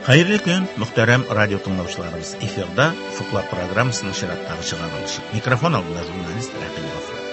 Хәерле көн, мөхтәрәм радио тыңлаучыларыбыз. Эфирда Офыклар программасының чираттагы чыгарылышы. Микрофон алдында журналист Рәхим Гафуров.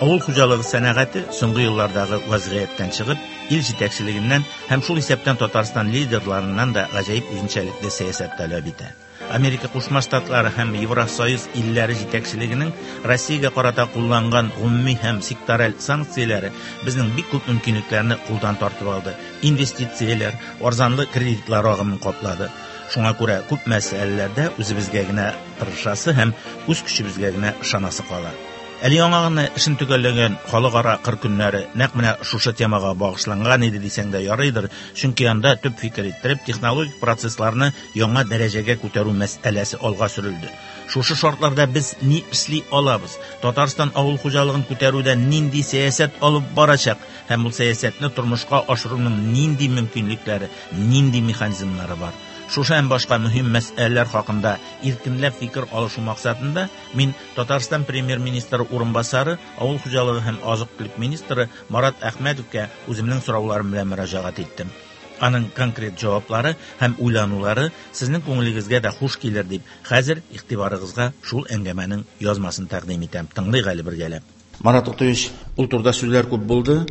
Авыл хуҗалыгы сәнәгате соңгы еллардагы вазгыятьтән чыгып, ил җитәкчелегеннән һәм шул исәптән Татарстан лидерларыннан да гаҗәеп үзенчәлекле сәясәт таләп итә. Америка Кушма Штатлары һәм Евросоюз илләре җитәкчелегенең Россиягә карата кулланган гомуми һәм сектораль санкцияләре безнең бик күп мөмкинлекләрне кулдан тартып алды, инвестицияләр, арзанлы кредитлар агымын каплады. Шуңа күрә күп мәсьәләләрдә үзебезгә генә тырышасы һәм үз көчебезгә генә ышанасы кала. Әле яңа гына эшен төгәлләгән халыкара кыр көннәре нәкъ менә шушы темага багышланган иде дисәң дә ярыйдыр, чөнки анда төп фикер иттереп технологик процессларны яңа дәрәҗәгә күтәрү мәсьәләсе алга сөрелде. Шушы шартларда без ни эшли алабыз? Татарстан авыл хуҗалыгын күтәрүдә нинди сәясәт алып барачак һәм ул сәясәтне тормышка ашыруның нинди мөмкинлекләре, нинди механизмнары бар? Шушы һәм башка мөһим мәсьәләләр хакында иркенләп фикер алышу максатында мин Татарстан премьер-министры урынбасары, авыл хуҗалыгы һәм азык-төлек министры Марат Әхмәтовка үземнең сорауларым белән мөрәҗәгать иттем. Аның конкрет җаваплары һәм уйланулары сезнең күңелегезгә дә хуш килер дип, хәзер игътибарыгызга шул әңгәмәнең язмасын тәкъдим итәм. Тыңлыйк әле бергәләп. Марат Туктаевич, ул турыда сүзләр күп булды.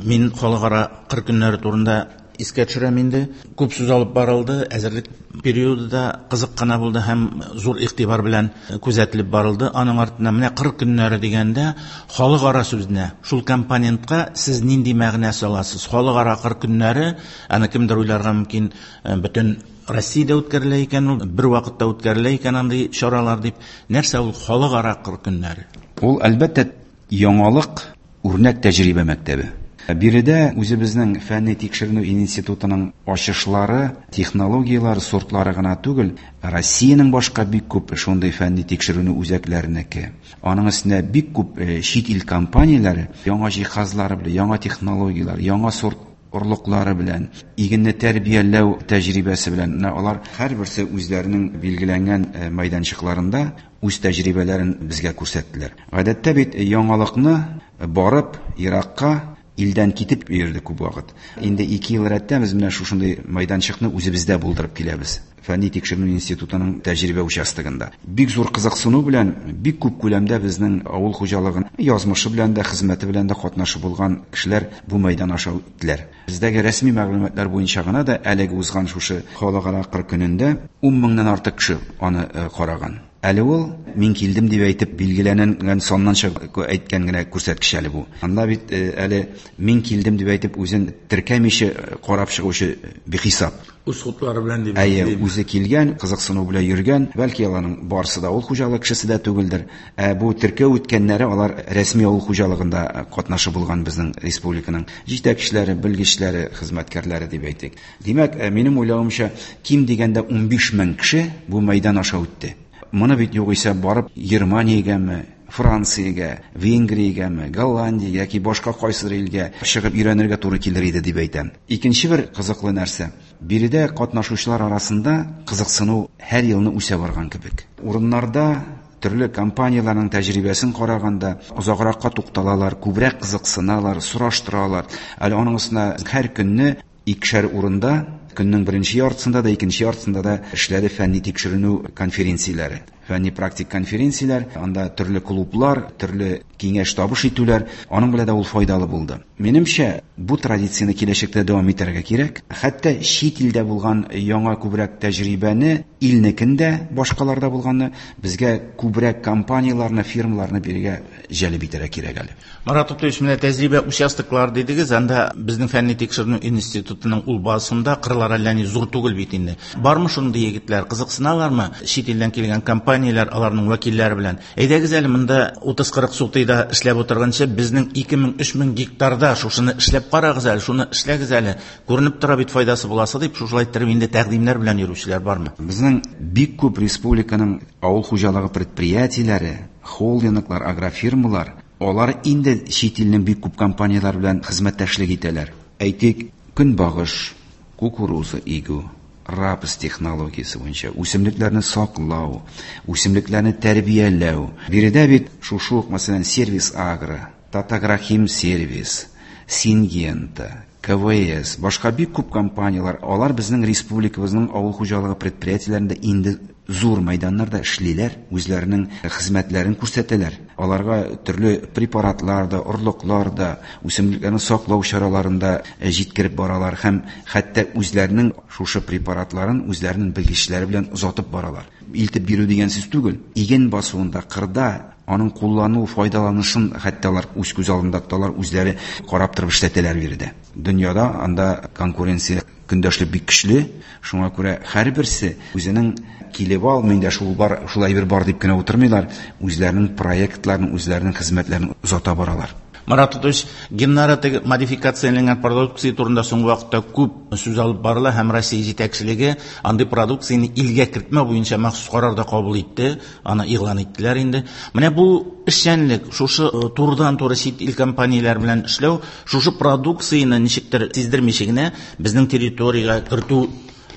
Мин халыкара кыр көннәре турында искә төшерәм инде. Күп сүз алып барылды, әзерлек периоды да кызык кына булды һәм зур игътибар белән күзәтелеп барылды. Аның артыннан менә кыр көннәре дигәндә халыкара сүзенә, шул компонентка сез нинди мәгънә саласыз? Халыкара кыр көннәре, аны кемдер уйларга мөмкин, бөтен Россиядә үткәрелә икән ул, бер вакытта үткәрелә икән андый чаралар дип. Нәрсә ул халыкара кыр көннәре? Ул, әлбәттә, яңалык, үрнәк тәҗрибә мәктәбе. Биредә үзебезнең фәнни тикшеренү институтының ачышлары, технологияләре, сортлары гына түгел, Россиянең башка бик күп шундый фәнни тикшеренү үзәкләренеке. Аның өстенә бик күп чит ил компанияләре яңа җиһазлары белән, яңа технологияләр, яңа сорт орлыклары белән, игенне тәрбияләү тәҗрибәсе белән, менә алар һәрберсе үзләренең билгеләнгән мәйданчыкларында үз тәҗрибәләрен безгә күрсәттеләр. Гадәттә бит яңалыкны барып еракка, илдән китеп йөрде күп вакыт. Инде 2 ел рәттән без менә шушындый мәйданчыкны үзебездә булдырып киләбез. Фәнни тикшеренү институтының тәҗрибә участогында. Бик зур кызыксыну белән, бик күп күләмдә безнең авыл хуҗалыгын язмышы белән дә, хезмәте белән дә катнашы булган кешеләр бу мәйдан аша үттеләр. Бездәге рәсми мәгълүматлар буенча гына да әлеге узган шушы халыкара кыр көнендә 10 меңнән артык кеше аны караган. Әле ул мин килдем дип әйтеп билгеләнгән саннан чыгып әйткән генә күрсәткеч әле бу. Анда бит әле мин килдем дип әйтеп үзен теркәмичә карап чыгучы бихисап. Үз хутлары белән дип. Әйе, үзе килгән, кызыксыну белән йөргән, бәлки аларның барысы да авыл хуҗалыгы кешесе дә түгелдер. Ә бу теркәү үткәннәре алар рәсми авыл хуҗалыгында катнашы булган безнең республиканың җитәкчеләре, белгечләре, хезмәткәрләре дип әйтик. Димәк, минем уйлавымча, ким дигәндә 15 мең кеше бу мәйдан аша үтте. Моны бит югыйсә барып Германиягәме, Франциягә, Венгриягәме, Голландиягә яки башка кайсыдыр илгә чыгып өйрәнергә туры килер иде дип әйтәм. Икенче бер кызыклы нәрсә. Биредә катнашучылар арасында кызыксыну һәр елны үсә барган кебек. Урыннарда төрле компанияләрнең тәҗрибәсен караганда озагракка тукталалар, күбрәк кызыксыналар, сораштыралар. Әле аның өстенә һәр көнне икешәр урында, көннең беренче яртысында да, икенче яртысында да эшләде фәнни тикшеренү конференцияләре. Фәнни практик конференцияләр, анда төрле клублар, төрле киңәш табыш итүләр, аның белән дә ул файдалы булды. Минемчә, бу традицияне киләчәктә дәвам итәргә кирәк. Хәтта чит илдә булган яңа күбрәк тәҗрибәне, илнекен дә, башкаларда булганны, безгә күбрәк компанияләрне, фирмаларны бирергә җәлеп итәргә кирәк әле. Марат Туктаевич, менә тәҗрибә участоклар дидегез, анда безнең фәнни тикшеренү институтының ул базасында кырлар әллә ни зур түгел бит инде. Бармы шундый егетләр, кызыксыналармы чит илдән килгән компанияләр, аларның вәкилләре белән? Әйдәгез әле монда 30-40 сутыйда эшләп утырганчы, безнең 2000-3000 гектарда шушыны эшләп карагыз әле, шуны эшләгез әле, күренеп тора бит файдасы буласы дип, шушылай иттереп инде тәкъдимнәр белән йөрүчеләр бармы? Безнең бик күп республиканың авыл хуҗалыгы предприятиеләре, холдинглар, агрофирмалар, алар инде чит илнең бик күп компанияләр белән хезмәттәшлек итәләр. Әйтик, көнбагыш, кукуруза игү, Рапс технологиясе буенча үсемлекләрне саклау, үсемлекләрне тәрбияләү. Биредә бит шушы ук, мәсәлән, Сервис Агро, Татагрохим Сервис, Сингента, КВС, башка бик күп компанияләр, алар безнең республикабызның авыл хуҗалыгы предприятиеләрендә инде зур мәйданнарда эшлиләр, үзләренең хезмәтләрен күрсәтәләр. Аларга төрле препаратлар да, орлыклар да, үсемлекләрне саклау чараларын да җиткереп баралар һәм хәтта үзләренең шушы препаратларын үзләренең белгечләре белән озатып баралар. Илтеп бирү дигән сүз түгел. Иген басуында, кырда аның куллану, файдаланышын хәтта алар үз күз алдында тоталар, үзләре карап торып эшләтәләр биредә. Дөньяда анда конкуренция, көндәшлек бик көчле. Шуңа күрә һәрберсе үзенең килеп ал, миндә шул бар, шул әйбер бар дип кенә утырмыйлар, үзләренең проектларын, үзләренең хезмәтләрен озата баралар. Марат Тотыш, геннары теге модификацияләнгән продукция турында соңгы вакытта күп сүз алып барыла һәм Россия җитәкчелеге андый продукцияне илгә кертмәү буенча махсус карар да кабул итте, аны игълан иттеләр инде. Менә бу эшчәнлек, шушы турыдан-туры чит ил компанияләре белән эшләү, шушы продукцияне ничектер сиздермичә генә безнең территориягә кертү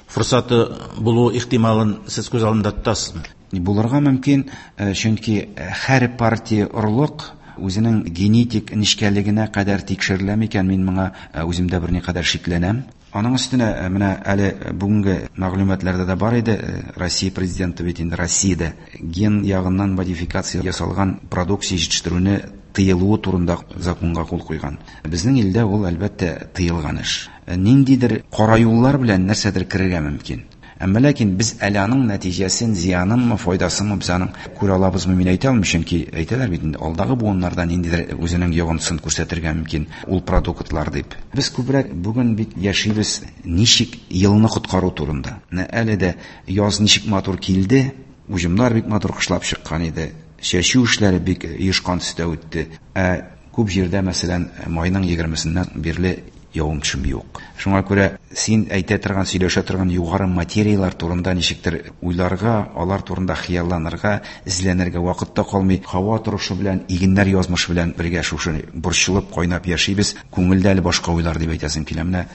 форсаты булу ихтималын сез күз алдында тотасызмы? Булырга мөмкин, чөнки һәр партия орлык үзенең генетик нечкәлегенә кадәр тикшерелә микән, мин моңа үземдә берникадәр шикләнәм. Аның өстенә менә әле бүгенге мәгълүматларда да бар иде, Россия президенты бит инде Россиядә ген ягыннан модификация ясалган продукция җитештерүне тыелуы турында законга кул куйган. Безнең илдә ул, әлбәттә, тыелган эш. Ниндидер кара юллар белән нәрсәдер керергә мөмкин. Әмма ләкин без әле аның нәтиҗәсен, зыянынмы, файдасынмы без аның күрә алабызмы, мин әйтә алмыйм, чөнки әйтәләр бит инде, алдагы буыннарда ниндидер үзенең йогынтысын күрсәтергә мөмкин ул продуктлар дип. Без күбрәк бүген бит яшибез ничек елны коткару турында. Менә әле дә яз ничек матур килде, уҗымнар бик матур кышлап чыккан иде, чәчү эшләре бик оешкан төстә үтте. Ә күп җирдә, мәсәлән, майның 20-сеннән бирле явым-төшем юк. Шуңа күрә син әйтә торган, сөйләшә торган югары материялар турында ничектер уйларга, алар турында хыялланырга, эзләнергә вакыт та калмый. Һава торышы белән, игеннәр язмышы белән бергә шушы борчылып, кайнап яшибез. Күңелдә әле башка уйлар дип әйтәсем килә. Менә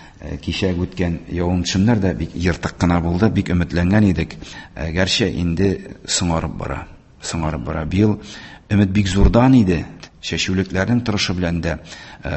кичә үткән явым-төшемнәр дә бик ертык кына булды, бик өметләнгән идек. Гәрчә инде соңарып бара. Соңарып бара. Быел өмет бик зурдан иде. Чәчүлекләрнең торышы белән дә,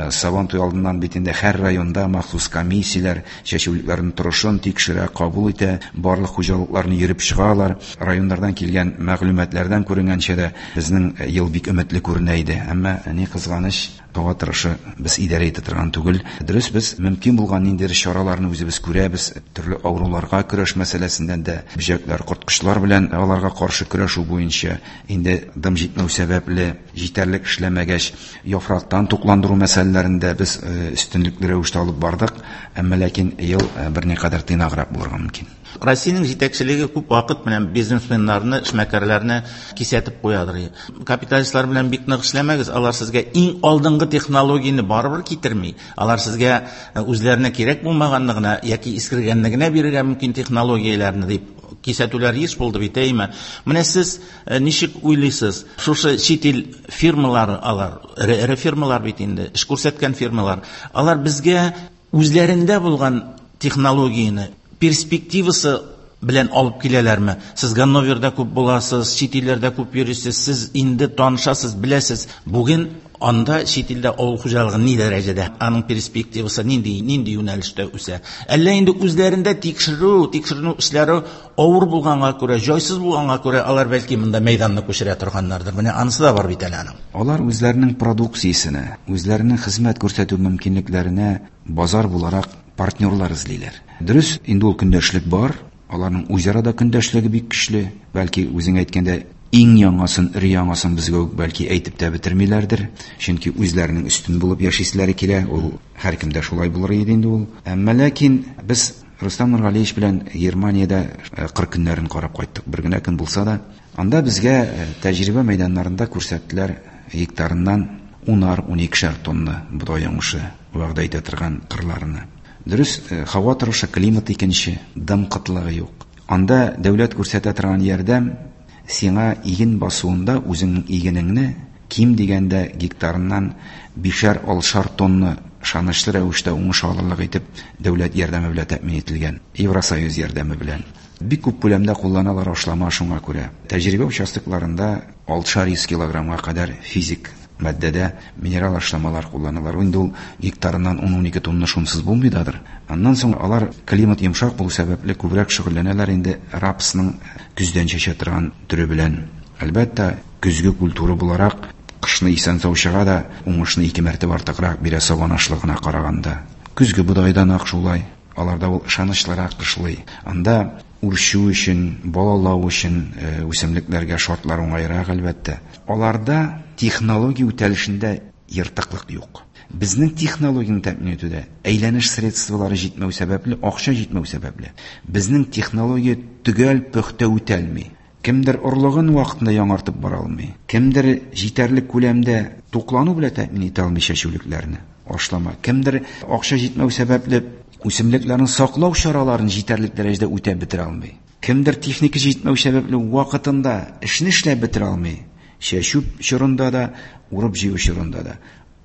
Сабантуй алдыннан бит инде һәр районда махсус комиссияләр чәчүлекләрнең торышын тикшерә, кабул итә, барлык хуҗалыкларны йөреп чыгалар. Районнардан килгән мәгълүматлардан күренгәнчә дә безнең ел бик өметле күренә иде. Әмма ни кызганыч, һава торышы без идарә итә торган түгел. Дөрес, без мөмкин булган ниндидер чараларны үзебез күрәбез, төрле авыруларга көрәш мәсьәләсеннән дә, бөҗәкләр, корткычлар белән аларга каршы көрәшү буенча инде дым җитмәү сәбәпле җитәрлек эшләмәгәч, яфрактан тукландыру мәсьәләләрендә без өстенлекле рәвештә алып бардык, әмма ләкин ел берникадәр тыйнаграк булырга мөмкин. Россиянең җитәкчелеге күп вакыт белән бизнесменнарны, эшмәкәрләрне кисәтеп куядыр. Капиталистлар белән бик нык эшләмәгез, алар сезгә иң алдынгы технологияне барыбер китерми. Алар сезгә үзләренә кирәк булмаганны гына яки искергәнне генә бирергә мөмкин технологияләрне дип кисәтүләр еш булды бит, әйме? Менә сез ничек уйлыйсыз? Шушы чит ил фирмалары алар, эре фирмалар бит инде, эш күрсәткән фирмалар. Алар безгә үзләрендә булган технологияне перспективасы белән алып киләләрме? Сез Ганноверда күп буласыз, чит илләрдә күп йөрисез, сез инде танышасыз, беләсез. Бүген анда чит илдә авыл хуҗалыгы ни дәрәҗәдә, аның перспективасы нинди, нинди юнәлештә үсә? Әллә инде үзләрендә тикшерү, тикшеренү эшләре авыр булганга күрә, җайсыз булганга күрә, алар бәлки монда мәйданны күчерә торганнардыр. Менә анысы да бар бит әле аның. Алар үзләренең продукциясенә, үзләренең хезмәт күрсәтү мөмкинлекләренә базар буларак партнерлар эзлиләр. Дөрес, инде ул көндәшлек бар, аларның үзара да көндәшлеге бик көчле. Бәлки үзең әйткәндә, иң яңасын, өр яңасын безгә үк бәлки әйтеп тә бетермиләрдер. Чөнки үзләренең өстен булып яшиселәре килә, ул һәркемдә шулай булыр иде инде ул. Әмма ләкин без Рустам Нургалиевич белән Германиядә кыр көннәрен карап кайттык. Бер генә көн булса да, анда безгә тәҗрибә мәйданнарында күрсәттеләр гектарыннан унар, уникешәр тонна бодай уңышы вәгъдә итә торган кырларны. Дөрес, һава торышы, климат икенче, дым кытлыгы юк. Анда дәүләт күрсәтә торган ярдәм сиңа иген басуында үзеңнең игенеңне ким дигәндә гектарыннан бишәр-алтышар тонна ышанычлы рәвештә уңыш алырлык итеп дәүләт ярдәме белән тәэмин ителгән, Евросоюз ярдәме белән. Бик күп күләмдә кулланалар ашлама шуңа күрә. Тәҗрибә участокларында 600 килограммга кадәр физик матдәдә минерал ашламалар кулланалар. Инде ул гектарыннан 10-12 тонна шунсыз булмый дадыр. Аннан соң алар климат йомшак булу сәбәпле күбрәк шөгыльләнәләр инде рапсның көздән чәчә торган төре белән. Әлбәттә, көзге культура буларак кышны исән-сау чыга да, уңышны ике мәртәбә артыграк бирә сабан ашлыгына караганда. Көзге бодайдан ак шулай. Аларда ул ышанычлырак кышлый. Анда үрчү өчен, балалау өчен үсемлекләргә шартлар уңайрак, әлбәттә. Аларда технология үтәлешендә ертыклык юк. Безнең технологияне тәэмин итүдә әйләнеш средстволары җитмәү сәбәпле, акча җитмәү сәбәпле, безнең технология төгәл пөхтә үтәлми. Кемдер орлыгын вакытында яңартып бара алмый, кемдер җитәрлек күләмдә туклану белән тәэмин итә алмый чәчүлекләрне, ашлама. Кемдер акча җитмәү сәбәпле үсемлекләрне саклау чараларын җитәрлек дәрәҗәдә үтәп бетерә алмый. Кемдер техника җитмәү сәбәпле вакытында эшне эшләп бетерә алмый. Чәчү чорында да, урып-җыю чорында да.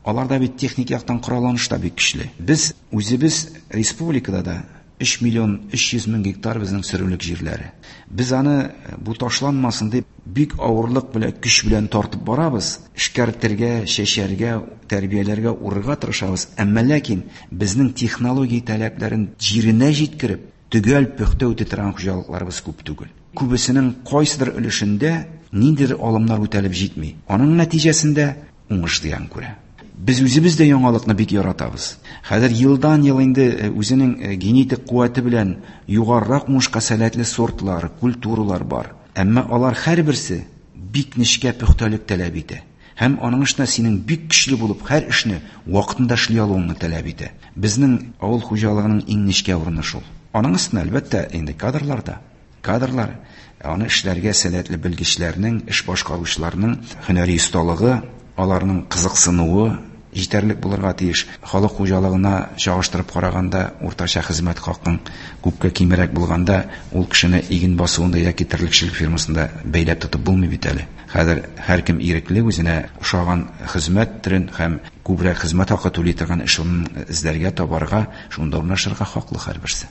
Аларда бит техник яктан коралланыш та бик көчле. Без үзебез республикада да 3 миллион 300 мең гектар безнең сөрүлек җирләре. Без аны бу ташланмасын дип бик авырлык белән, көч белән тартып барабыз. Эшкәртергә, чәчәргә, тәрбияләргә, урырга тырышабыз. Әмма ләкин безнең технология таләпләрен җиренә җиткереп, төгәл пөхтә үти торган хуҗалыкларыбыз күп түгел. Күбесенең кайсыдыр өлешендә ниндидер алымнар үтәлеп җитми. Аның нәтиҗәсендә уңыш зыян күрә. Без үзебез дә яңалыкны бик яратабыз. Хәзер елдан-ел инде үзенең генетик куәте белән югарырак уңышка сәләтле сортлар, культуралар бар. Әмма алар һәрберсе бик нечкә пөхтәлек таләп итә. Һәм аның эшенә синең бик көчле булып һәр эшне вакытында эшли алуыңны таләп итә. Безнең авыл хуҗалыгының иң нечкә урыны шул. Аның өстенә, әлбәттә, инде кадрлар да. Кадрлар, аны эшләргә сәләтле белгечләрнең, эш башкаручыларның һөнәри осталыгы, аларның кызыксынуы җитәрлек булырга тиеш. Халык хуҗалыгына чагыштырып караганда, уртача хезмәт хакың күпкә кимрәк булганда, ул кешене иген басуында яки терлекчелек фирмасында бәйләп тотып булмый бит әле. Хәзер һәркем ирекле үзенә ошаган хезмәт төрен һәм күбрәк хезмәт хакы түли торган эш урынын эзләргә, табарга, шунда урнашырга хаклы һәрберсе.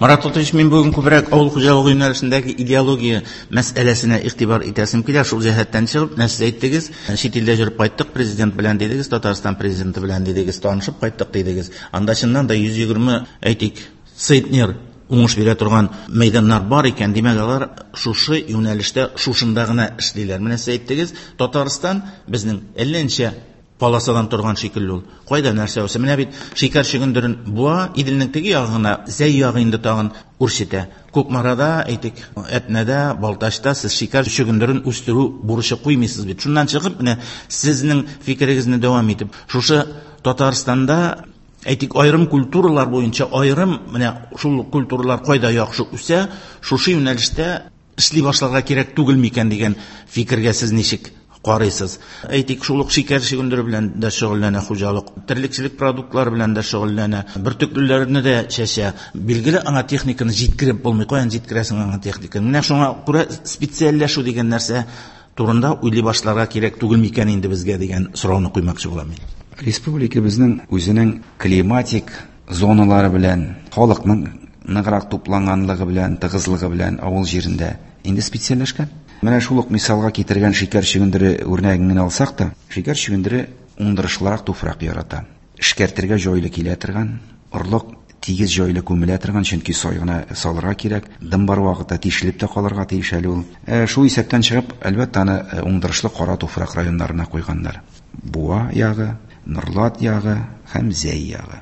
Марат Лотович, мин бүген күбрәк авыл хуҗалыгы юнәлешендәге идеология мәсьәләсенә игътибар итәсем килә. Шул җәһәттән чыгып, менә сез әйттегез, чит илдә йөреп кайттык президент белән дидегез, Татарстан президенты белән дидегез, танышып кайттык дидегез. Анда чыннан да 120, әйтик, центнер уңыш бирә торган мәйданнар бар икән, димәк, алар шушы юнәлештә, шушында гына эшлиләр. Менә сез әйттегез, Татарстан безнең әллә ничә полосадан торган шикелле ул. Кайда нәрсә үсә? Менә бит шикәр чөгендерен Буа, Иделнең теге ягы гына, Зәй ягы инде тагын үрчетә. Кукмарада, әйтик, Әтнәдә, Балтачта сез шикәр чөгендерен үстерү бурычы куймыйсыз бит. Шуннан чыгып, менә сезнең фикерегезне дәвам итеп, шушы Татарстанда, әйтик, аерым культуралар буенча аерым, менә шул культуралар кайда яхшы үсә, шушы юнәлештә эшли башларга кирәк түгел микән дигән фикергә сез ничек карыйсыз? Әйтик, шул ук шикәр чөгендере белән дә шөгыльләнә хуҗалык, терлекчелек продуктлары белән дә шөгыльләнә, бөртеклеләрне дә чәчә. Билгеле, аңа техниканы җиткереп булмый. Каян җиткерәсең аңа техниканы? Менә шуңа күрә специальләшү дигән нәрсә турында уйлый башларга кирәк түгел микән инде безгә дигән сорауны куймакчы булам мин. Республика безнең үзенең климатик зоналары белән, халыкның ныграк тупланганлыгы белән, тыгызлыгы белән авыл җирендә инде специальләшкән. Менә шул ук мисалга китергән шикәр чөгендере үрнәген генә алсак та, шикәр чөгендере уңдырышлырак туфрак ярата. Эшкәртергә җайлы килә торган, орлык тигез җайлы күмелә торган, чөнки сай гына салырга кирәк, дым бар вакытта тишелеп тә калырга тиеш әле ул. Шул исәптән чыгып, әлбәттә, аны уңдырышлы кара туфрак районнарына куйганнар. Буа ягы, Норлат ягы һәм Зәй ягы.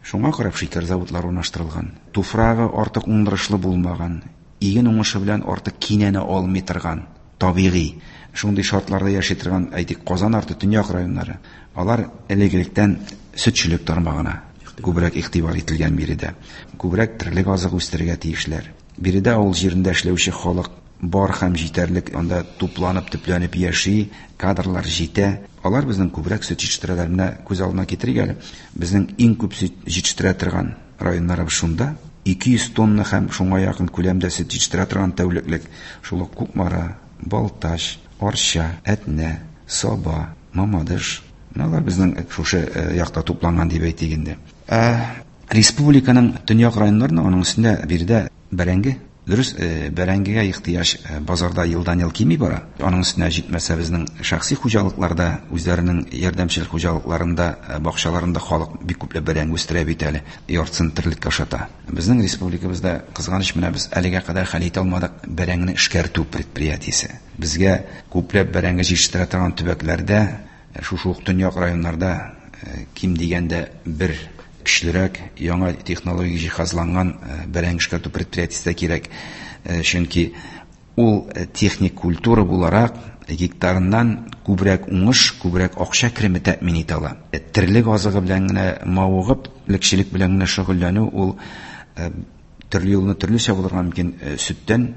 Шуңа карап шикәр заводлары урнаштырылган. Туфрагы артык уңдырышлы булмаган, иген уңышы белән артык кинәнә алмый торган, табигый шундый шартларда яши торган, әйтик, Казан арты төньяк районнары. Алар элек-электән сөтчелек тармагына күбрәк игътибар ителгән биредә. Күбрәк терлек азыгы үстерергә тиешләр. Биредә авыл җирендә эшләүче халык бар һәм җитәрлек, анда тупланып, төпләнеп яши, кадрлар җитә. Алар безнең күбрәк сөт җитештерәләр. Менә күз алдына китерик әле, безнең иң күп сөт җитештерә торган районнарыбыз шунда. 200 тонна һәм шуңа якын күләмдә сөт җитештерә торган тәүлеклек. Шул ук Кукмара, Балтач, Арча, Әтнә, Саба, Мамадыш, Менә алар безнең шушы якта тупланган дип әйтик инде. Ә республиканың төньяк районнарында, аның өстендә биредә бәрәңге. Дөрес, бәрәңгегә ихтыяҗ базарда елдан-ел кими бара. Аның өстенә җитмәсә безнең шәхси хуҗалыкларда, үзләренең ярдәмчел хуҗалыкларында, бакчаларында халык бик күпләп бәрәңге үстерә бит әле, яртысын терлеккә ашата. Безнең республикабызда, кызганыч, менә без әлегә кадәр хәл итә алмадык бәрәңгене эшкәртү предприятиесе. Безгә күпләп бәрәңге җитештерә торган төбәкләрдә, шушы ук төньяк районнарда ким дигәндә бер көчлерәк, яңа технологик җиһазланган бәрәңге эшкәртү предприятиесе дә кирәк. Чөнки ул техник культура буларак гектарыннан күбрәк уңыш, күбрәк акча кереме тәэмин итә ала. Терлек азыгы белән генә мавыгып, терлекчелек белән генә шөгыльләнү ул төрле юлны төрлечә булырга мөмкин. Сөттән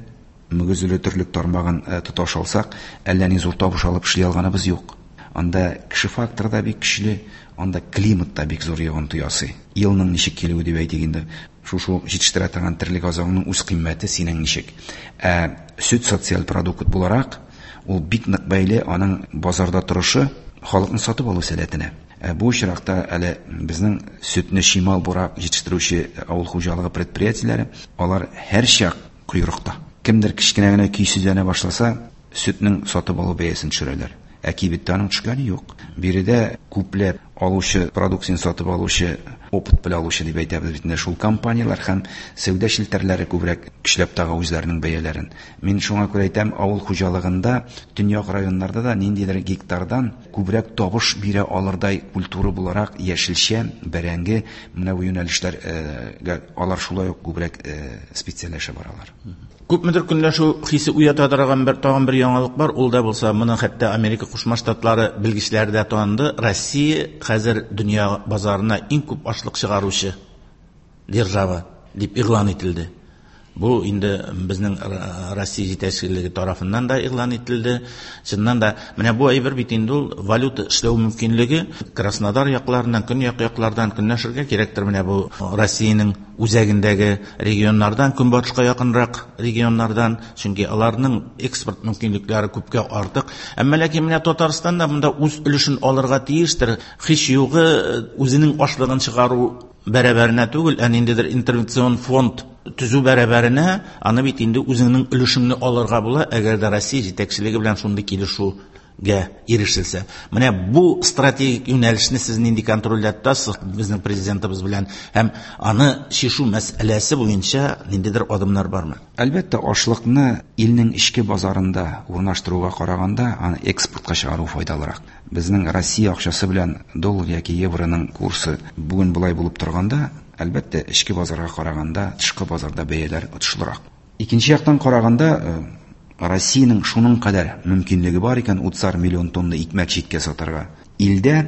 мөгезле терлек тармагын тоташ алсак, әллә ни зур табыш алып эшли алганыбыз юк. Анда кеше факторы да бик көчле, анда климат та бик зур йогынты ясый. Елның ничек килүе дип әйтик инде. Шушы җитештерә торган терлек азыгының үз кыйммәте синең ничек. Ә сөт социаль продукт буларак, ул бик нык бәйле аның базарда торышы, халыкның сатып алу сәләтенә. Бу очракта әле безнең сөтне чимал буларак җитештерүче авыл хуҗалыгы предприятиеләре, алар һәрчак койрыкта. Кемдер кечкенә генә көйсезләнә башласа, сөтнең сатып алу бәясен төшерәләр. Ә кибеттә аның төшкәне юк. Биредә күпләп алучы, продукцияне сатып алучы, опыт белән алучы дип әйтәбез бит инде, шул компанияләр һәм сәүдә челтәрләре күбрәк көчләп тага үзләренең бәяләрен. Мин шуңа күрә әйтәм, авыл хуҗалыгында, төньяк районнарда да ниндидер гектардан күбрәк табыш бирә алырдай культура буларак яшелчә, бәрәңге, менә бу юнәлешләргә алар шулай ук күбрәк специальләшә баралар. Күпмедер көнләшү хисе уята торган бер тагын бер яңалык бар, ул да булса, моны хәтта Америка Кушма Штатлары белгечләре дә таныды. Россия хәзер дөнья базарына иң күп ашлык чыгаручы держава дип игълан ителде. Бу инде безнең Россия җитәкчелеге тарафыннан да игълан ителде. Чыннан да менә бу әйбер бит инде ул валюта эшләү мөмкинлеге Краснодар якларыннан, көньяк яклардан көнләшергә кирәктер. Менә бу Россиянең үзәгендәге регионнардан, көнбатышка якынрак регионнардан, чөнки аларның экспорт мөмкинлекләре күпкә артык. Әмма ләкин менә Татарстан да монда үз өлешен алырга тиештер. Һич югы үзенең ашлыгын чыгару бәрабәренә түгел, ә ниндидер интервенцион фонд төзү бәрабәренә, аны бит инде үзеңнең өлешеңне алырга була, әгәр дә Россия җитәкчелеге белән шундый килешүгә ирешелсә. Менә бу стратегик юнәлешне сез нинди контрольдә тотасыз безнең президентыбыз белән һәм аны чишү мәсьәләсе буенча ниндидер адымнар бармы? Әлбәттә, ашлыкны илнең эчке базарында урнаштыруга караганда, аны экспортка чыгару файдалырак. Безнең Россия акчасы белән доллар яки евроның курсы бүген болай булып торганда, әлбәттә, эчке базарга караганда тышкы базарда бәяләр отышлырак. Икенче яктан караганда, Россиянең шуның кадәр мөмкинлеге бар икән 30 миллион тонна икмәк читкә сатарга. Илдә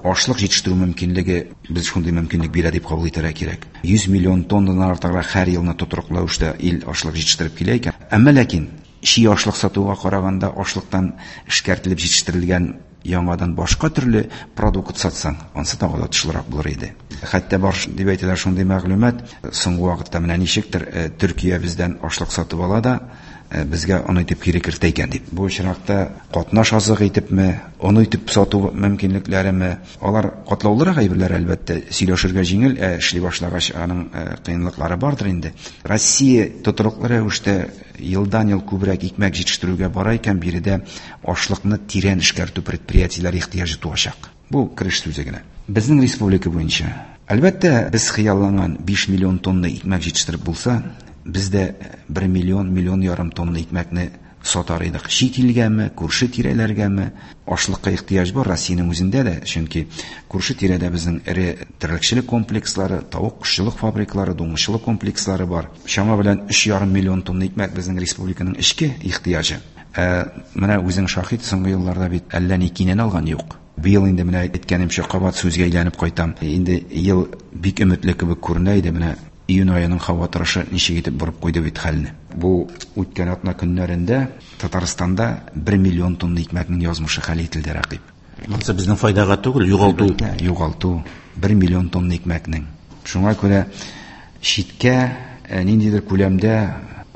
ашлык җитештерү мөмкинлеге без шундый мөмкинлек бирә дип кабул итәргә кирәк. 100 миллион тоннадан артыграк һәр елны тотрыклы рәвештә ил ашлык җитештереп килә икән. Әмма ләкин чи ашлык сатуга караганда ашлыктан эшкәртелеп җитештерелгән яңадан башка төрле продукт сатсаң, ансы тагы да отышлырак булыр иде. Хәтта бар дип әйтәләр шундый мәгълүмат, соңгы вакытта менә ничектер Төркия бездән ашлык сатып ала да, безгә он итеп кире кертә икән дип. Бу очракта катнаш азык итепме, он итеп сату мөмкинлекләреме, алар катлаулырак әйберләр, әлбәттә, сөйләшергә җиңел, ә эшли башлагач аның кыенлыклары бардыр инде. Россия тотрыклы рәвештә елдан-ел күбрәк икмәк җитештерүгә бара икән, биредә ашлыкны тирән эшкәртү предприятиеләре ихтыяҗы туачак. Бу кереш сүзе генә. Безнең республика буенча, әлбәттә, без хыялланган 5 миллион тонна икмәк җитештереп булса, без дә 1 миллион, миллион ярым тонна икмәкне сатар идек. Чит илгәме, күрше тирәләргәме, ашлыкка ихтыяҗ бар Россиянең үзендә дә, чөнки күрше тирәдә безнең эре терлекчелек комплекслары, тавык кошчылык фабрикалары, дуңгызчылык комплекслары бар. Чама белән өч ярым миллион тонна икмәк безнең республиканың эчке ихтыяҗы. Менә үзең шаһит, соңгы елларда бит әллә ни кинән алган юк. Быел инде менә әйткәнемчә кабат сүзгә әйләнеп кайтам. Инде ел бик өметле кебек күренә иде, менә июнь аеның һава торышы ничек итеп борып куйды бит хәлне. Бу үткән атна көннәрендә Татарстанда 1 миллион тонна икмәкнең язмышы хәл ителде, Рәкыйп. Монысы безнең файдага түгел, югалту. Әлбәттә, югалту 1 миллион тонна икмәкнең. Шуңа күрә читкә ниндидер күләмдә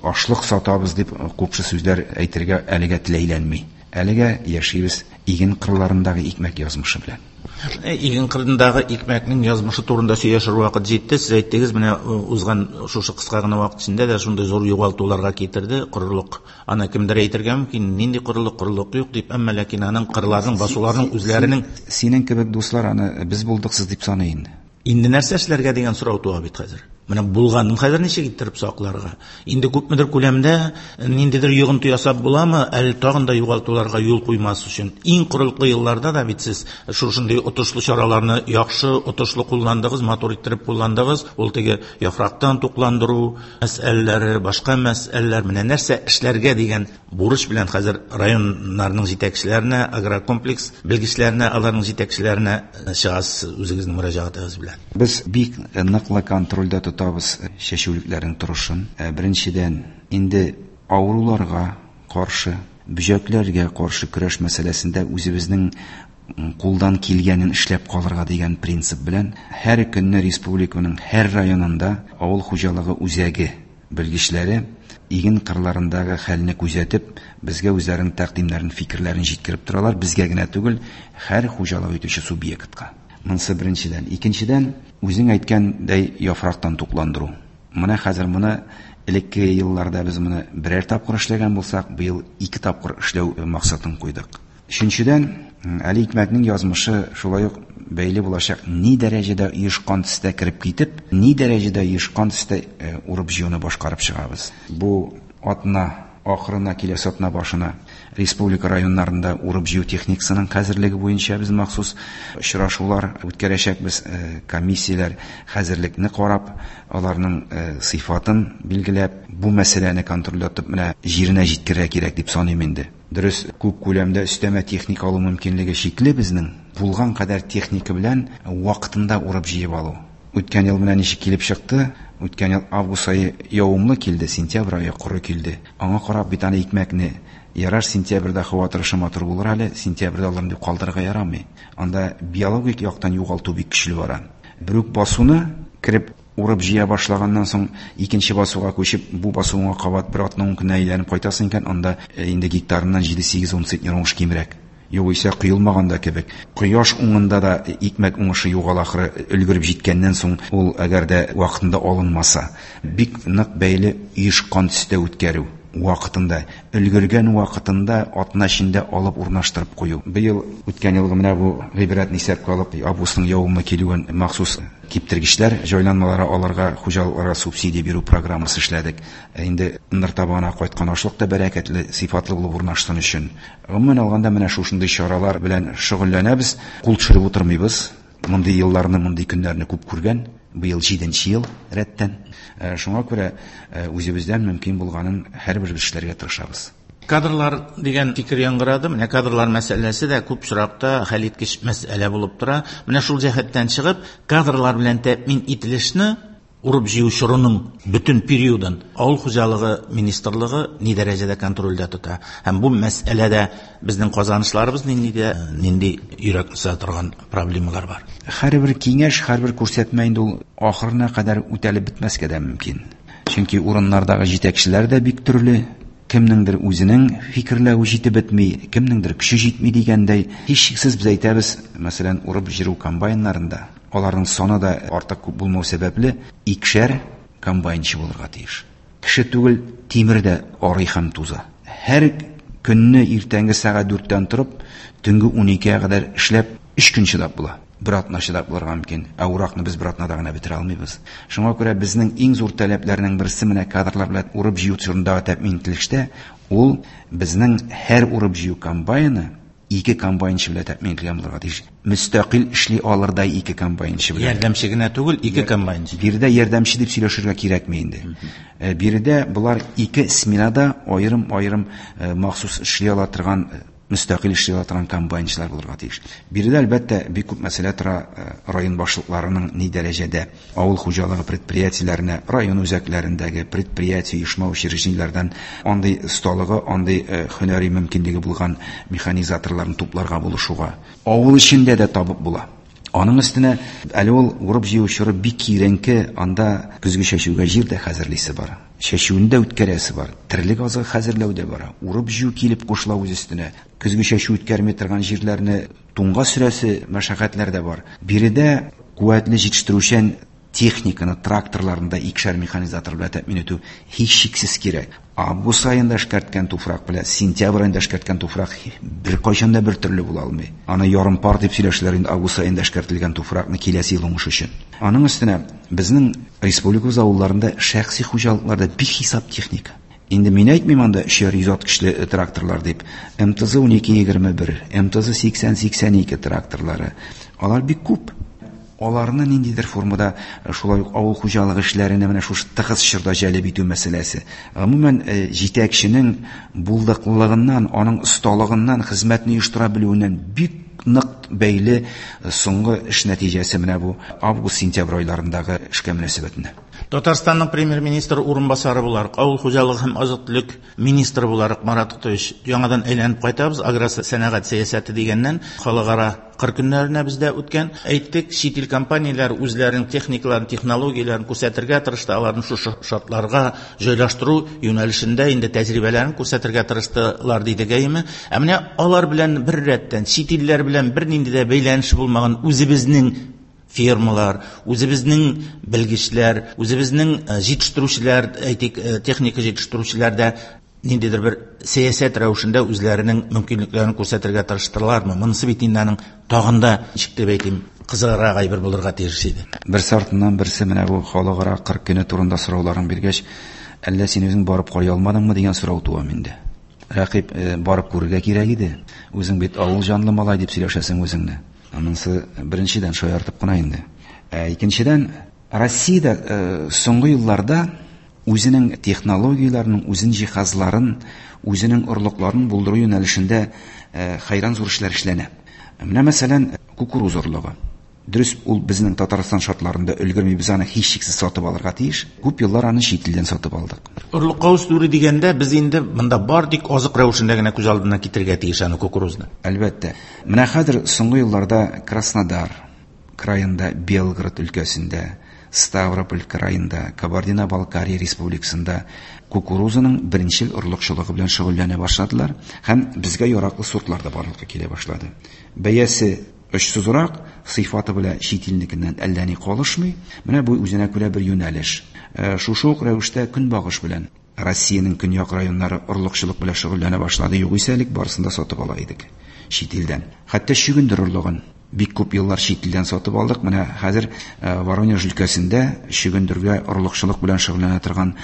ашлык сатабыз дип купшы сүзләр әйтергә әлегә теләйләнми. Әлегә яшибез иген кырларындагы икмәк язмышы белән. Иген кырындагы икмәкнең язмышы турында сөйләшер вакыт җитте. Сез әйттегез, менә узган шушы кыска гына вакыт эчендә дә шундый зур югалтуларга китерде корылык. Аны кемдер әйтергә мөмкин, нинди корылык, корылык юк дип, әмма ләкин аның кырларның, басуларның үзләренең Синең кебек дуслар аны без булдыксыз дип саный инде. Инде нәрсә эшләргә дигән сорау туа бит хәзер. Менә булганын хәзер ничек иттереп сакларга? Инде күпмедер күләмдә ниндидер йогынты ясап буламы, әле тагын да югалтуларга юл куймас өчен? Иң корылыклы елларда да бит сез шушындый отышлы чараларны яхшы, отышлы кулландыгыз, матур иттереп кулландыгыз. Ул теге яфрактан тукландыру мәсьәләләре, башка мәсьәләләр, менә нәрсә эшләргә дигән бурыч белән хәзер районнарның җитәкчеләренә, агрокомплекс белгечләренә, аларның җитәкчеләренә чыгасыз үзегезнең мөрәҗәгатегез белән. Без бик ныклы контрольдә тотабыз чәчүлекләрнең торышын. Беренчедән, инде авыруларга каршы, бөҗәкләргә каршы көрәш мәсьәләсендә үзебезнең кулдан килгәнен эшләп калырга дигән принцип белән һәр көнне республиканың һәр районында авыл хуҗалыгы үзәге белгечләре иген кырларындагы хәлне күзәтеп, безгә үзләренең тәкъдимнәрен, фикерләрен җиткереп торалар, безгә генә түгел, һәр хуҗалык итүче субъектка. Монысы беренчедән. Икенчедән, үзең әйткәндәй яфрактан тукландыру. Менә хәзер моны элекке елларда без моны берәр тапкыр эшләгән булсак, быел 2 тапкыр эшләү максатын куйдык. Өченчедән, әле икмәкнең язмышы шулай ук бәйле булачак, ни дәрәҗәдә оешкан төстә кереп китеп, ни дәрәҗәдә оешкан төстә урып җыюны башкарып чыгабыз. Бу атна ахырына, киләсе атна башына республика районнарында урып җыю техникасының хәзерлеге буенча без махсус очрашулар үткәрәчәкбез, комиссияләр хәзерлекне карап, аларның сыйфатын билгеләп, бу мәсьәләне контрольдә тотып, менә җиренә җиткерергә кирәк дип саныйм инде. Дөрес, күп күләмдә өстәмә техника алу мөмкинлеге шикле безнең. Булган кадәр техника белән вакытында урып җыеп алу. Үткән ел менә ничек килеп чыкты? Үткән ел август ае явымлы килде, сентябрь ае коры килде. Аңа карап бит аны икмәкне ярар сентябрьдә һава торышы матур булыр әле, сентябрьдә алырмын дип калдырырга ярамый. Анда биологик яктан югалту бик көчле бара. Бер үк басуны кереп урып җыя башлаганнан соң икенче басуга күчеп, бу басуыңа кабат бер атна ун көннән әйләнеп кайтасың икән, анда инде гектарыннан 7-8-10 центнер уңыш кимрәк. Югыйсә коелмаган да кебек. Кояш уңында да икмәк уңышы югала ахры, өлгереп җиткәннән соң ул әгәр дә вакытында алынмаса, бик нык бәйле оешкан төстә үткәрү вакытында, өлгергән вакытында атна эчендә алып урнаштырып кую. Быел үткән елгы менә бу гыйбрәтне исәпкә алып, августның явымы килүен махсус киптергечләр җайланмалары аларга, хуҗалыкларга субсидия бирү программасы эшләдек. Инде ныр табанына кайткан ашлык та бәрәкәтле, сыйфатлы булып урнашсын өчен. Гомумән алганда менә шушындый чаралар белән шөгыльләнәбез, кул төшереп утырмыйбыз. Мондый елларны, мондый көннәрне күп күргән, быел 7 ел рәттән. Шуңа күрә үзебездән мөмкин булганын һәрбер эшләргә тырышабыз. Кадрлар дигән фикер яңгырады. Менә кадрлар мәсьәләсе дә күп очракта хәлиткеч мәсьәлә булып тора. Менә шул җәһәттән чыгып, кадрлар белән тәэмин ителешне урып җыю чорының бөтен периодын авыл хуҗалыгы министрлыгы ни дәрәҗәдә контрольдә тота? Һәм бу мәсьәләдә безнең казанышларыбыз нинди дә, нинди йөрәкне сыза торган проблемалар бар? Һәрбер киңәш, һәрбер күрсәтмә инде ул ахырына кадәр үтәлеп бетмәскә дә мөмкин. Чөнки урыннардагы җитәкчеләр дә бик төрле. Кемнеңдер үзенең фикерләве җитеп бетми, кемнеңдер көче җитми дигәндәй, һичшиксез без әйтәбез, мәсәлән, урып җыру комбайннарында аларның саны да артык күп булмау сәбәпле, икешәр комбайнчы булырга тиеш. Кеше түгел, тимер дә арый һәм туза. Һәр көнне иртәнге сәгать 4-тән торып, төнге 12-гә кадәр эшләп, 3 көн чыдап була. Бер атна чыдап булырга мөмкин. Ә уракны без бер атнада гына бетерә алмыйбыз. Шуңа күрә безнең иң зур таләпләрнең берсе менә кадрлар белән урып җыю чорындагы тәэмин ителештә, ул безнең һәр урып җыю комбайны 2 комбайнчы белән тәэмин ителгән булырга тиеш. Мөстәкыйль эшли алырдай 2 комбайнчы белән. Ярдәмче генә түгел, 2 комбайнчы. Биредә ярдәмче дип сөйләшергә кирәкми инде. Биредә булар 2 сменада аерым-аерым махсус эшли ала торган, мөстәкыйль эшли ала торган комбайнчылар булырга тиеш. Биредә әлбәттә бик күп мәсьәлә тора, район башлыкларының ни дәрәҗәдә авыл хуҗалыгы предприятиеләренә, район үзәкләрендәге предприятие, оешма учреждениеләрдән андый осталыгы, андый һөнәри мөмкинлеге булган механизаторларны тупларга булышуга. Авыл эчендә дә табып була. Аның өстенә әле ул урып җыю чоры бик киеренке, анда көзге чәчүгә җир дә хәзерлисе бар. Чәчүне дә үткәрәсе бар, терлек азыгы хәзерләү дә бара, урып-җыю килеп кушыла үз өстенә. Көзге чәчү үткәрми торган җирләрне туңга сөрәсе мәшәкатьләр дә бар. Биредә куәтле җитештерүчән техниканы, тракторларны да икешәр механизатор белән тәэмин итү һичшиксез кирәк. Август аенда эшкәрткән туфрак белән сентябрь аенда эшкәрткән туфрак беркайчан да бер төрле була алмый. Аны ярым пар дип сөйләшәләр инде август аенда эшкәртелгән туфракны киләсе ел уңыш өчен. Аның өстенә безнең республикабыз авылларында шәхси хуҗалыкларда бихисап техника. Инде мин әйтмим анда өчәр йөз ат көчле тракторлар дип. МТЗ 1221, МТЗ 8082 тракторлары. Алар бик күп. Аларны ниндидер формада шулай ук авыл хуҗалыгы эшләренә менә шушы тыгыз чорда җәлеп итү мәсьәләсе. Гомумән, җитәкченең булдыклылыгыннан, аның осталыгыннан, хезмәтне оештыра белүеннән бик нык бәйле соңгы эш нәтиҗәсе менә бу август-сентябрь айларындагы эшкә мөнәсәбәтендә. Татарстанның премьер-министры урынбасары буларак, авыл хуҗалыгы һәм азык-төлек министры буларак Марат Тотович, яңадан әйләнеп кайтабыз аграр сәнәгать сәясәте дигәннән, халыкара кыр көннәренә бездә үткән. Әйттек, чит ил компанияләре үзләренең техникаларын, технологияләрен күрсәтергә тырышты, аларны шушы шартларга җайлаштыру юнәлешендә инде тәҗрибәләрен күрсәтергә тырыштылар, дидек, әйеме? Ә менә алар белән бер рәттән, чит илләр белән бернинди дә бәйләнеше булмаган үзебезнең фирмалар, үзебезнең белгечләр, үзебезнең җитештерүчеләр, әйтик, техника җитештерүчеләр дә ниндидер бер сәясәт рәвешендә үзләренең мөмкинлекләрен күрсәтергә тырыштылармы? Монысы бит инде аның тагын да, ничек дип әйтим, кызыграк әйбер булырга тиеш иде. Берсе артыннан берсе менә бу халыкара кыр көне турында сорауларын биргәч, әллә син үзең барып карый алмадыңмы дигән сорау туа миндә. Рәкыйп, барып күрергә кирәк иде. Үзең бит авыл җанлы малай дип сөйләшәсең үзеңне. Анысы беренчедән шаяртып кына инде. Ә икенчедән, Россиядә соңгы елларда үзенең технологияләрен, үзенең җиһазларын, үзенең орлыкларын булдыру юнәлешендә хәйран зур эшләр эшләнә. Менә мәсәлән, кукуруз орлыгы. Дөрес, ул безнең Татарстан шартларында өлгерми, без аны һичшиксез сатып алырга тиеш. Күп еллар аны чит илдән сатып алдык. Орлыкка үстерү дигәндә без инде монда бар тик азык рәвешендә генә күз алдына китерергә тиеш аны кукурузны. Әлбәттә. Менә хәзер соңгы елларда Краснодар краенда, Белгород өлкәсендә, Ставрополь краенда, Кабардино-Балкария республикасында кукурузаның беренчел орлыкчылыгы белән шөгыльләнә башладылар һәм безгә яраклы сортлар да барлыкка килә башлады. Бәясе очсызрак, сыйфаты белән чит илнекеннән әллә ни калышмый. Менә бу үзенә күрә бер юнәлеш. Шушы ук рәвештә көнбагыш белән Россиянең көньяк районнары орлыкчылык белән шөгыльләнә башлады. Югыйсә элек барысын да сатып ала идек чит илдән. Хәтта чөгендер орлыгын бик күп еллар чит илдән сатып алдык. Менә хәзер Воронеж өлкәсендә чөгендергә орлыкчылык белән шөгыльләнә торган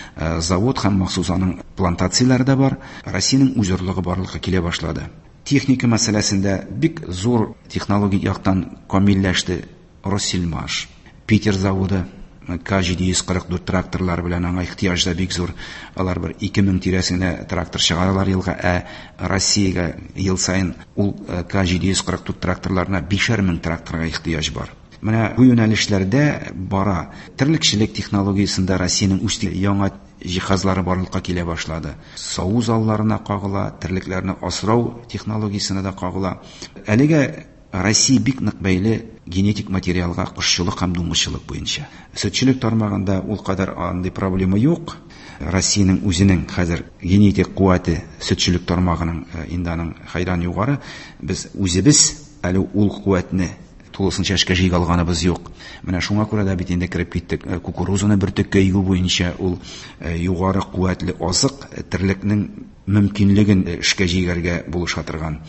завод һәм махсус аның плантацияләре дә бар. Россиянең үз орлыгы барлыкка килә башлады. Техника мәсьәләсендә бик зур технологик яктан камилләште Россельмаш, Питер заводы, К-744 тракторлары белән аңа ихтыяҗ да бик зур. Алар бер 2000 тирәсендә трактор чыгаралар елга, ә Россиягә ел саен ул К-744 тракторларына 5000 тракторга ихтыяҗ бар. Менә бу юнәлешләрдә бара. Терлекчелек технологиясендә Россиянең үз яңа җиһазлары барлыкка килә башлады. Саву залларына кагыла, терлекләрне асрау технологиясенә дә кагыла. Әлегә Россия бик нык бәйле генетик материалга кошчылык һәм дуңгызчылык буенча. Сөтчелек тармагында ул кадәр андый проблема юк. Россиянең үзенең хәзер генетик куәте сөтчелек тармагының инде аның хәйран югары. Без үзебез әле ул куәтне тулысынча эшкә җыйга алганыбыз юк. Менә шуңа күрә дә бит инде кереп киттек. Кукурузаны бөртеккә игү буенча ул югары куәтле азык терлекнең мөмкинлеген эшкә җигәргә булыша торган.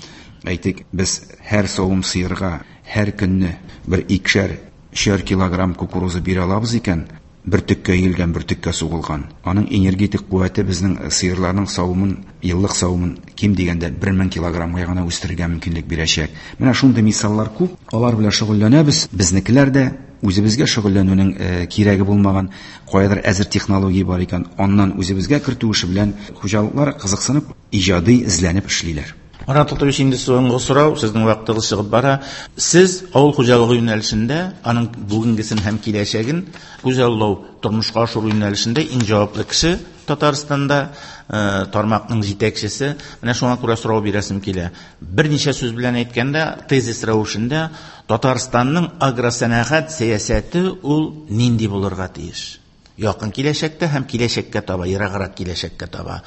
Әйтик, без һәр савым сыерга һәр көнне бер икешәр, өчәр килограмм кукуруза бирә алабыз икән, бөртеккә игелгән, бөртеккә сугылган. Аның энергетик куәте безнең сыерларның савымын, еллык савымын ким дигәндә 1000 килограммга гына үстерергә мөмкинлек бирәчәк. Менә шундый мисаллар күп. Алар белән шөгыльләнәбез. Безнекеләр дә үзебезгә шөгыльләнүнең кирәге булмаган, каядыр әзер технология бар икән, аннан үзебезгә кертү эше белән хуҗалыклар кызыксынып, иҗади эзләнеп эшлиләр. Марат Тотович, инде соңгы сорау, сезнең вакытыгыз чыгып бара. Сез авыл хуҗалыгы юнәлешендә, аның бүгенгесен һәм киләчәген күзаллау, тормышка ашыру юнәлешендә иң җаваплы кеше Татарстанда, тармакның җитәкчесе. Менә шуңа күрә сорау бирәсем килә. Берничә сүз белән әйткәндә, тезис рәвешендә Татарстанның агросәнәгать сәясәте ул нинди булырга тиеш? Якын киләчәктә һәм киләчәккә таба, ераграк киләчәккә таба.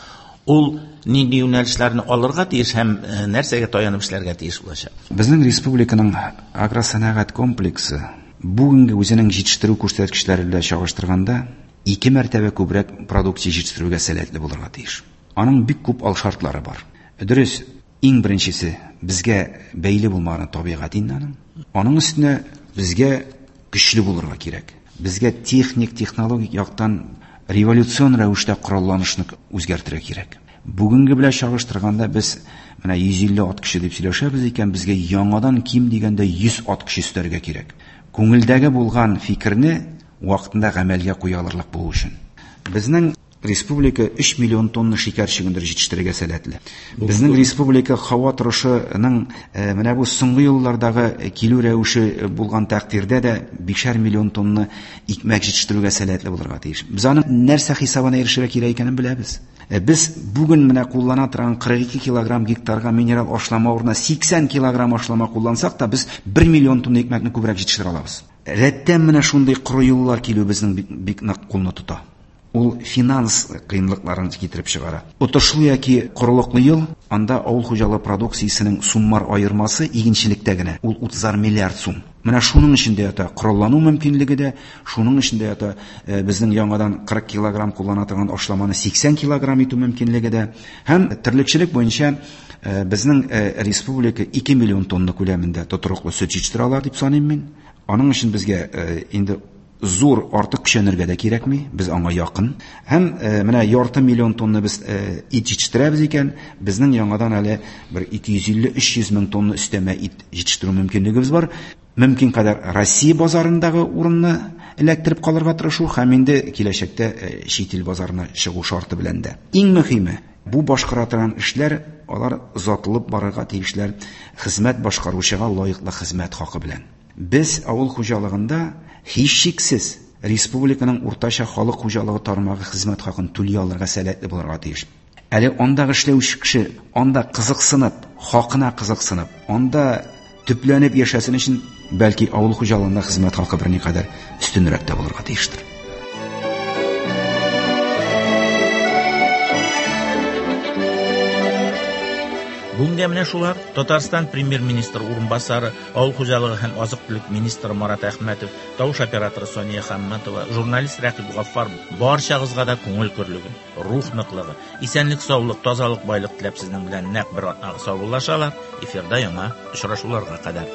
Ул нинди юнәлешләрне алырга тиеш һәм нәрсәгә таянып эшләргә тиеш булачак? Безнең республиканың агросәнәгать комплексы бүгенге үзенең җитештерү күрсәткечләре белән чагыштырганда 2 мәртәбә күбрәк продукция җитештерүгә сәләтле булырга тиеш. Аның бик күп алшартлары бар. Дөрес, иң беренчесе безгә бәйле булмаган табигать инде аның. Аның өстенә безгә көчле булырга кирәк. Безгә техник, технологик яктан революцион рәвештә коралланышны үзгәртергә кирәк. Бүгенге белән чагыштырганда без менә 150 ат көче дип сөйләшәбез икән, безгә яңадан ким дигәндә 100 ат көче өстәргә кирәк. Күңелдәге булган фикерне вакытында гамәлгә куя алырлык булу өчен. Безнең республика 3 миллион тонна шикәр чөгендере җитештерергә сәләтле. Безнең республика һава торышының менә бу соңгы еллардагы килү рәвеше булган тәкъдирдә дә 5 миллион тонна икмәк җитештерүгә сәләтле булырга тиеш. Без аның нәрсә хисабына ирешергә кирәк икәнен беләбез. Без бүген менә куллана торган 42 килограмм гектарга минерал ашлама урынына 80 килограмм ашлама куллансак та без 1 миллион тонна икмәкне күбрәк җитештерә алабыз. Рәттән менә шундый коры юллар килү безнең бик нык кулны тота. Ул финанс кыенлыкларын китереп чыгара. Отышлы яки корылыклы ел, анда авыл хуҗалыгы продукциясенең суммар аермасы игенчелектә генә, ул 30 миллиард сум. Менә шуның эчендә ята кораллану мөмкинлеге дә, шуның эчендә ята безнең яңадан 40 килограмм куллана торган ашламаны 80 килограмм итү мөмкинлеге дә. Һәм терлекчелек буенча безнең республика 2 миллион тонна күләмендә тотрыклы сөт җитештерә ала дип саныйм мин. Аның өчен безгә инде зур артык көчәнергә дә кирәкми, без аңа якын. Һәм менә ярты миллион тонна без ит җитештерәбез икән, безнең яңадан әле бер 250-300 мең тонна өстәмә ит җитештерү мөмкинлегебез бар. Мөмкин кадәр Россия базарындагы урынны эләктереп калырга тырышу һәм инде киләчәктә чит ил базарына чыгу шарты белән дә. Иң мөһиме, бу башкара торган эшләр, алар озатылып барырга тиешләр хезмәт башкаручыга лаеклы хезмәт хакы белән. Без авыл хуҗалыгында һичшиксез республиканың уртача халык хуҗалыгы тармагы хезмәт хакын түли алырга сәләтле булырга тиеш. Әле андагы эшләүче кеше анда кызыксынып, хакына кызыксынып, анда төпләнеп яшәсен өчен бәлки авыл хуҗалыгында хезмәт хакы берникадәр өстенрәк тә булырга тиештер. Бүгенгә менә шулар. Татарстан премьер-министры урынбасары, авыл хуҗалыгы һәм азык-төлек министры Марат Әхмәтов, тавыш операторы Сания Хамматова, журналист Рәкыйп Гаффар барчагызга да күңел көрлеге, рух ныклыгы, исәнлек, саулык, тазалык, байлык теләп сезнең белән нәкъ бер атнага саубуллашалар. Эфирда яңа очрашуларга кадәр.